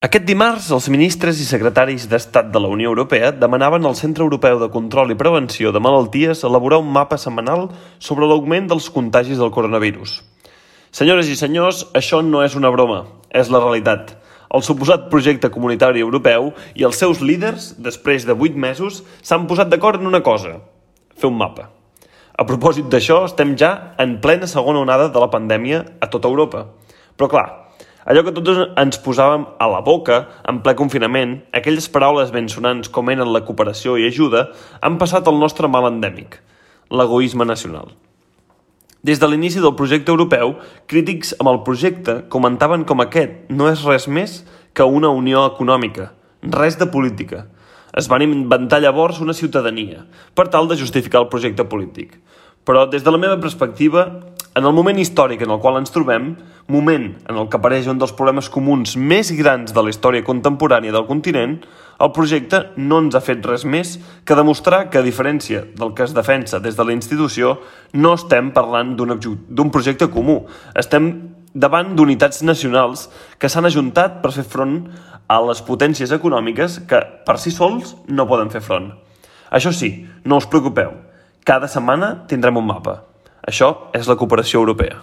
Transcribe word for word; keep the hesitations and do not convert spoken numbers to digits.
Aquest dimarts, els ministres i secretaris d'Estat de la Unió Europea demanaven al Centre Europeu de Control i Prevenció de Malalties elaborar un mapa setmanal sobre l'augment dels contagis del coronavirus. Senyores i senyors, això no és una broma, és la realitat. El suposat projecte comunitari europeu i els seus líders, després de vuit mesos, s'han posat d'acord en una cosa: fer un mapa. A propòsit d'això, estem ja en plena segona onada de la pandèmia a tota Europa. Però clar, allò que tots ens posàvem a la boca en ple confinament, aquelles paraules ben sonants com eren la cooperació i ajuda, han passat al nostre mal endèmic, l'egoisme nacional. Des de l'inici del projecte europeu, crítics amb el projecte comentaven com aquest no és res més que una unió econòmica, res de política. Es van inventar llavors una ciutadania, per tal de justificar el projecte polític. Però des de la meva perspectiva, en el moment històric en el qual ens trobem, moment en el que apareix un dels problemes comuns més grans de la història contemporània del continent, el projecte no ens ha fet res més que demostrar que, a diferència del que es defensa des de la institució, no estem parlant d'un d'un projecte comú. Estem davant d'unitats nacionals que s'han ajuntat per fer front a les potències econòmiques que, per si sols, no poden fer front. Això sí, no us preocupeu, cada setmana tindrem un mapa. Això és la cooperació europea.